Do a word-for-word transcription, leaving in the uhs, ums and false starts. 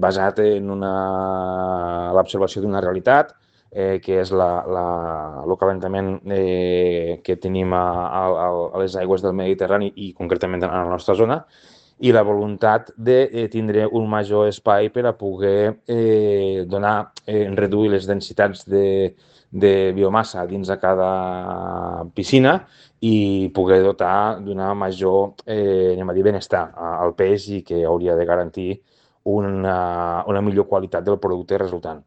basat en l'observació d'una realitat, eh, que és la, la, el calentament eh, que tenim a, a, a les aigües del Mediterrani i concretament a la nostra zona, i la voluntat de eh, tindre un major espai per a poder eh, donar, eh, reduir les densitats de, de biomassa dins de cada piscina i poder dotar d'una major, eh, anem a dir, benestar al peix i que hauria de garantir una, una millor qualitat del producte resultant.